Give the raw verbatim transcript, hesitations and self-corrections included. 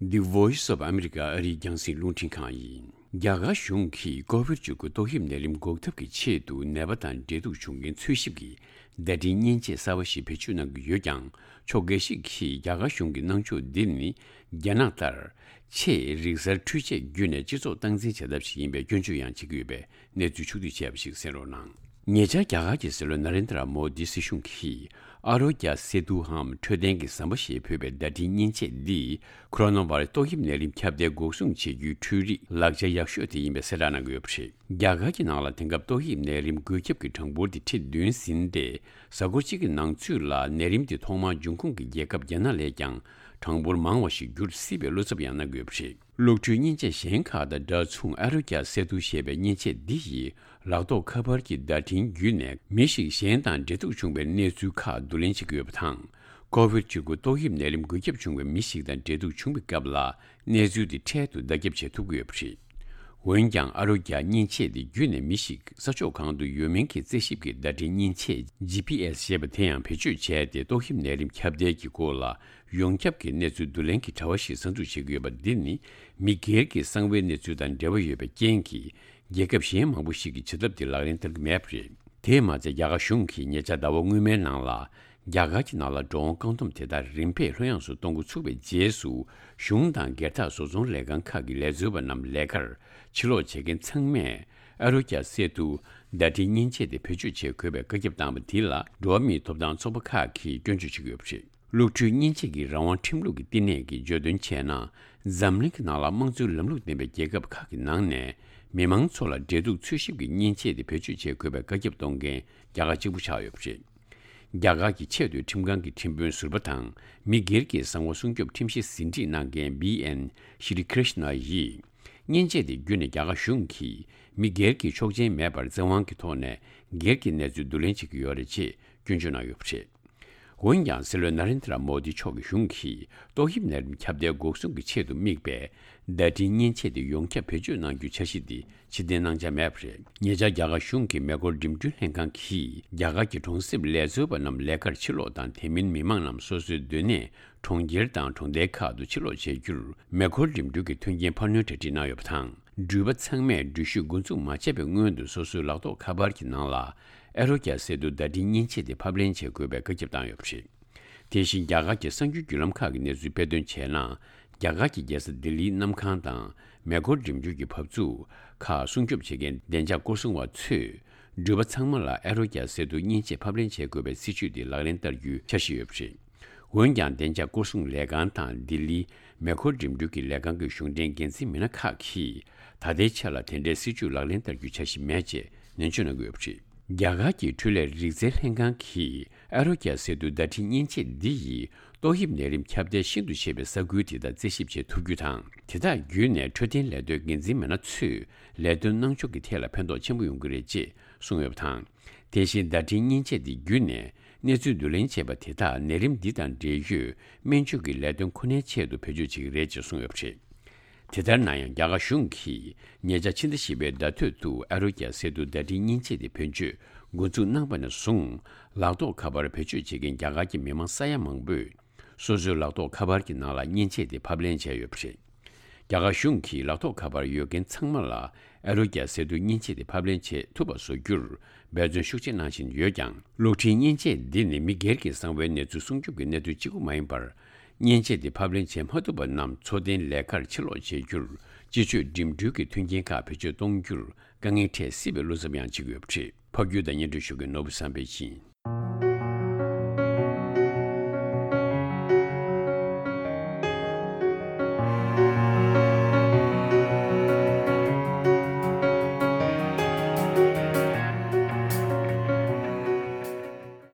The Voice of America ཨ་རིའི་རྒྱང་སྲིང་རླུང་འཕྲིན་ཁང་ཡིན། རྒྱ་གར་གཞུང་གིས་ཀོ་བིཌ་བཅུ་དགུ་ཏོག་དབྱིབས་ནད་རིམས་འགོག་ཐབས་ཀྱི་ཆེད་དུ་ནད་པ་དང་འབྲེལ་གཏུག་བྱུང་མཁན་འཚོལ་ཞིབ་ཀྱི་བརྡ་འཕྲིན་མཉེན་ཆས་གསར་བ་ཞིག་བེད་སྤྱོད་གནང་གི་ཡོད་ཀྱང་། ཕྱོགས་འགའ་ཞིག་གིས་རྒྱ་གར་གཞུང་གི་གནང་ཕྱོགས་འདི་ནི་རྒྱ་ནག་ལྟར་ཆེས་རིག་གསར་འཕྲུལ་ཆས་བརྒྱུད་ནས་སྤྱི་ཚོགས་སྟངས་འཛིན་བྱ་ཐབས་ཤིག་ཡིན་པའི་སྐྱོན་བརྗོད་ཡང་བྱེད་ཀྱི་ཡོད་པའི་གནས་ཚུལ་ཕྱོགས་བསྡུས་བྱས་པ་ཞིག་གསན་རོགས་གནང་། ཉེ་ཆར་རྒྱ་གར་གྱི་སྲིད་བློན་ན་རེན་དྲ་མོ་དི་སྲིད་གཞུང་གིས་ཨ་རོ་ཀྱ་སེ་ཏུའམ་འཕྲོད་བསྟེན་གྱི་ཟམ་པ་ཞེས་འབོད་པའི་བརྡ་འཕྲིན་མཉེན་ཆས་འདིས་ཁོ་རོ་ན་བྷ་ར་སི་ཏོག་དབྱིབས་ནད་རིམས་ཁྱབ་གདལ་འགོག་སྲུང་བྱེད་རྒྱུའི་འཕྲུལ་རིག་ལག་ཆ་ཡག་ཤོས་དེ་ཡིན་པའི་གསལ་བསྒྲགས་གནང་གི་ཡོད་པ་རེད། རྒྱ་གར་གྱི་ནང་ལ་དེང་སྐབས་ཏོག་དབྱིབས་ནད་རིམས་འགོས་ཁྱབ་ཀྱི་གྲངས་འབོར་དེ་ཁྲི་བདུན་ཟིན་ཏེ། གཟའ་འཁོར་གཅིག་གི་ནང་ཚུད་ལ་ནད་རིམས་དེ་ཐོག་མར་འབྱུང་ཁུངས་ཀྱི་རྒྱལ་ཁབ་རྒྱ་ནག་ལས་ཀྱང་གྲངས་འབོར་མང་བ་ཞིག་འགྱུར་སྲིད་པའི་བློ་འཚབ་ཡང་གནང་གི་ཡོད་པ་རེད། གློག་འཕྲུལ་མཉེན་ཆས་གཞན་ཁག་དང་འདྲ་མཚུངས་ཨ་རོ་ཀྱ་སེ་ཏུ་ཞེས་པའི་མཉེན་ཆས་འདི་ཡིས་ལག་ཐོགས་ཁ་པར་གྱི་བརྡ་འཕྲིན་བརྒྱུད་ནས་མི་ཞིག་གཞན་དང་འབྲེལ་གཏུག་བྱུང་བའི་གནས་ཚུལ་ཁག་བསྡུ་ལེན་བྱེད་ཀྱི་ཡོད་པ་དང་། ཀོ་བིཌ་བཅུ་དགུ་ཏོག་དབྱིབས་ནད་རིམས་འགོས་ཁྱབ་བྱུང་བའི་མི་ཞིག་དང་འབྲེལ་གཏུག་བྱུང་བའི་སྐབས་ལ་གནས་ཚུལ་དེ་འཕྲལ་དུ་བརྡ་ཁྱབ་བྱེད་ཐུབ་ཀྱི་ཡོད་པ་རེད། འོན་ཀྱང་ཨ་རོ་ཀྱ་མཉེན་ཆས་དེ་བརྒྱུད་ནས་མི་ཞིག་ས་ཕྱོགས་གང་དུ་ཡོད་མིན་གྱི་རྩད་ཞིབ་ཀྱི་བརྡ་འཕྲིན་མཉེན་ཆས་ཇི་པི་ཨེ་སི་ཞེས་པ་དེ་ཡང་བེད་སྤྱོད་བྱས་ཏེ་ཏོག་དབྱིབས་ནད་རིམས་ཁྱབ་གདལ་གྱི་སྐོར་ལ་ཡོངས་ཁྱབ་ཀྱི་གནས་ཚུལ་བསྡུ་ལེན་གྱི་དྲ་བ་ཞིག་གསར་འཛུགས་བྱེད་ཀྱི་ཡོད་པ་འདི་ནི་མི་སྒེར་གྱི་གསང་བའི་གནས་ཚུལ་དང་འབྲེལ་བ་ཡོད་པའི་རྐྱེན་གྱིས། རྒྱལ་ཁབ་གཞན་མང་པོ་ཞིག་གིས་བྱེད་ཐབས་དེ་ལག་ལེན་བསྟར་གྱི་མེད་པ་རེད། དེས་མ་ཚད་རྒྱ་གར་གཞུང་གིས་ཉེ་ཆར་ཟླ་བ་སྔོན་མའི་ནང་ལ། རྒྱ་གར་གྱི་ནང་ལ་འགྲོ་འོང་བཀག་སྡོམ་དེ་དག་རིམ་པས་ལྷོད་ཡངས་སུ་གཏོང་འགོ་ཚུགས་པའི་རྗེས་སུ། གཞུང་དང་སྒེར་བདག་བཟོ་ཚོང་ལས་ཁང་ཁག་གི་ལས་བཟོ་བ་རྣམས་ལས་ཀར་ཕྱིར་ལོག་བྱེད་མཁན་ཚང་མས་ཨ་རོ་ཀྱ་སེ་ཏུ་བརྡ་འཕྲིན་མཉེན་ཆས་དེ་བེད་སྤྱོད་བྱེད་དགོས་པའི་བཀའ་ཁྱབ་བཏང་བ་དེ་ལ་འགྲོ་བ་མིའི་ཐོབ་ཐང་ཚོགས་པ་ཁག་གིས་སྐྱོན་བརྗོད་བྱེད་ཀྱི་ཡོད་པ་རེད། གློག་འཕྲུལ་མཉེན་ཆས་ཀྱི་རང་དབང་ཁྲིམས་ལུགས་ཀྱི་བསྟི་གནས་ཀྱིས་བརྗོད་དོན་བྱས་ན། འཛམ་གླིང་གི་ནང་ལ་དམངས་གཙོའི་ལམ་ལུགས་ལྡན་པའི་རྒྱལ་ཁབ་ཁག་གི་ནང་ནས་མི་མང་ཚོ་ལ་འབྲེལ་གཏུག་འཚོལ་ཞིབ་ཀྱི་མཉེན་ཆས་དེ་བེད་སྤྱོད་བྱེད་དགོས་པའི་བཀའ་ཁྱབ་གཏོང་མཁན་རྒྱ་གར་གཅིག་པུ་ཆགས་ཡོད་པ་རེད། རྒྱ་གར་གྱི་ཆེས་མཐོའི་ཁྲིམས་ཁང་གི་ཁྲིམས་དཔོན་ཟུར་པ་དང་མི་སྒེར་གྱི་གསང་བ་སྲུང་སྐྱོབ་ཁྲིམས་གཞི་ཟིན་བྲིས་གནང་མཁན་བི་ཨེན་ཤི་རི་ཀྲིཤ་ན་ཡིས། མཉེན་ཆས་དེ་བརྒྱུད་ནས་རྒྱ་གར་གཞུང་གིས་མི་སྒེར་གྱི་ཆོག་མཆན་མེད་པར་བཙན་དབང་གི་ཐོག་ནས་སྒེར་གྱི་གནས་ཚུལ་བསྡུ་ལེན་བྱེད་ཀྱི་ཡོད་རེད་ཅེས་སྐྱོན་བརྗོད་གནང་ཡོད་པ་རེད། འོན་ཀྱང་སྲིད་བློན་ན་རེན་དྲ་མོ་དི་མཆོག་གི་གཞུང་གིས་ཏོག་དབྱིབས་ནད་རིམས་ཁྱབ་གདལ་འགོག་སྲུང་གི་ཆེད་དུ་དམིགས་པའི་བརྡ་འཕྲིན་མཉེན་ཆས་དེ་ཡོངས་ཁྱབ་བེད་སྤྱོད་གནང་རྒྱུའི་འཆར་གཞི་འདི་ཕྱིར་འཐེན་གནང་འཆར་མེད་པ་རེད། ཉེ་ཆར་རྒྱ་གར་གཞུང་གི་མེ་འཁོར་འགྲིམ་འགྲུལ་ལྷན་ཁང་གིས་རྒྱ་གར་གྱི་གྲོང་གསེབ་ལས་བཟོ་བ་རྣམས་ལས་ཀར་ཕྱིར་ལོག་དང་དེ་མིན་མི་མང་རྣམས་སོ་སོའི་སྡོད་གནས་གྲོང་ཁྱེར་དང་གྲོང་རྡལ་ཁག་ཏུ་ཕྱིར་ལོག་བྱེད་རྒྱུར་མེ་འཁོར་འགྲིམ་འགྲུལ་གྱི་མཐུན་རྐྱེན་འཕར་སྣོན་གྲ་སྒྲིག་གནང་ཡོད་པ་དང་། འགྲུལ་པ་ཚང་མས་འགྲུལ་བཞུད་འགོ་འཛུགས་མ་བྱས་པའི་སྔོན་དུ་སོ་སོའི་ལག་ཐོགས་ཁ་པར་གྱི་ནང་ལ་ཨ་རོ་ཀྱ་སེ་ཏུ་བརྡ་འཕྲིན་མཉེན་ཆས་དེ་ཕབ་ལེན་བྱེད་དགོས་པའི་བཀའ་ཁྱབ་བཏང་ཡོད་པ་རེད། དེ་བཞིན་རྒྱ་གར་གྱི་གསར་འགྱུར་བརྒྱུད་ལམ་ཁག་གི་གནས་ཚུལ་སྤེལ་དོན་བྱས་ན། རྒྱ་གར་གྱི་རྒྱལ་ས་ལྡི་ལིའི་གནམ་ཐང་དང་མེ་འཁོར་འགྲིམ་འགྲུལ་གྱི་བབས་ཚུགས་ཁག་སྲུང་སྐྱོབ་བྱེད་མཁན་བདེ་འཇགས་སྐོར་སྲུང་བ་ཚོས་འགྲུལ་པ་ཚང་མ་ལ་ཨ་རོ་ཀྱ་སེ་ཏུ་མཉེན་ཆས་ཕབ་ལེན་བྱེད་དགོས་པའི་སྲིད་བྱུས་དེ་ལག་ལེན་བསྟར་རྒྱུའི་འཆར་གཞི་ཡོད་པ་རེད། འོན་ཀྱང་བདེ་འཇགས་སྐོར་སྲུང་ལས་ཁང་དང་ལྡི་ལིའི་མེ་འཁོར་འགྲིམ་འགྲུལ་གྱི་ལས་ཁང་གི་གཞུང་འབྲེལ་འགན་འཛིན་མི་སྣ་ཁག་གིས་ད་ལྟའི་ཆར་ལ་དེ་འདྲའི་སྲིད་བྱུས་ལག་ལེན་བསྟར་རྒྱུའི་འཆར་གཞི་མེད་ཅེས་ནན་བརྗོད་གནང་གི་ཡོད་པ་རེད། རྒྱ་གར་གྱི་འཕྲུལ་ལས་རིག་རྩལ་ལྷན་ཁང་གིས་ཨ་རོ་ཀྱ་སེ་ཏུ་བརྡ་འཕྲིན་མཉེན་ཆས་འདི་ཡིས་ཏོག་དབྱིབས་ནད་རིམས་ཁྱབ་གདལ་ཤིན་ཏུ་ཆེ་བའི་ས་ཁུལ་དེ་དག་རྩད་ཞིབ་བྱེད་ཐུབ་རྒྱུ་དང་། དེ་དག་བརྒྱུད་ནས་འཕྲོད་བསྟེན་ལས་དོན་འགན་འཛིན་མི་སྣ་ཚོས་ལས་དོན་གནང་ཕྱོགས་ཀྱི་ཐད་ལ་ཕན་ཐོགས་ཆེན་པོ་ཡོང་གི་རེད་ཅེས་གསུངས་ཡོད་པ་དང་། དེ་བཞིན་བརྡ་འཕྲིན་མཉེན་ཆས་དེ་བརྒྱུད་ནས་གནས་ཚུལ་བསྡུ་ལེན་བྱས་པ་དེ་དག་ནད་རིམས་འདི་དང་འབྲེལ་ཡོད་སྨན་བཅོས་ཀྱི་ལས་དོན་ཁོ་ནའི་ཆེད་དུ་བེད་སྤྱོད་བྱེད་ཀྱི་རེད་ཅེས་གསུངས་ཡོད་པ་རེད། དེ་ལྟར་ན་ཡང་རྒྱ་གར་གཞུང་གིས་ཉེ་ཆར་ཕྱི་ཟླ་བཞི་པའི་ཟླ་སྟོད་དུ་ཨ་རོ་ཀྱ་སེ་ཏུ་བརྡ་འཕྲིན་མཉེན་ཆས་དེ་བེད་སྤྱོད་འགོ་འཛུགས་གནང་བ་ནས་བཟུང་ལག་ཐོགས་ཁ་པར་བེད་སྤྱོད་བྱེད་མཁན་རྒྱ་གར་གྱི་མི་མང་ས་ཡ་མང་པོས། སོ་སོའི་ལག་ཐོགས་ཁ་པར་གྱི་ནང་ལ་མཉེན་ཆས་དེ་ཕབ་ལེན་བྱས་ཡོད་པ་རེད། རྒྱ་གར་གཞུང་གིས་ལག་ཐོགས་ཁ་པར་ཡོད་མཁན་ཚང་མ་ལ་ཨ་རོ་ཀྱ་སེ་ཏུ་མཉེན་ཆས་དེ་ཕབ་ལེན་བྱེད་ཐུབ་པ་བཟོ་རྒྱུར་འབད་བརྩོན་ཤུགས་ཆེ་གནང་བཞིན་ཡོད་ཀྱང་། གློག་འཕྲིན་མཉེན་ཆས་འདི་ནི་མི་སྒེར་གྱི་གསང་བའི་གནས་ཚུལ་སྲུང་སྐྱོབ་ཀྱི་གནད་དོན་གཅིག་པུ་མ་ཡིན་པར། མཉེན་ཆས་དེ་ཕབ་ལེན་བྱེད་མ་ཐུབ་པ་རྣམས་འཚོ་རྟེན་ལས་ཀར་ཕྱིར་ལོག་བྱེད་རྒྱུར་སྤྱི་སྤྱོད་འགྲིམ་འགྲུལ་གྱི་མཐུན་རྐྱེན་ཁག་བེད་སྤྱོད་གཏོང་རྒྱུར་དཀའ་ངལ་འཕྲད་སྲིད་པའི་བློ་འཚབ་ཡང་བྱེད་ཀྱི་ཡོད་པ་རེད། ཕབ་སྒྱུར་དང་སྙན་སྒྲོན་ཞུ་མཁན་ནོར་བུ་བསམ་འཕེལ་ཡིན།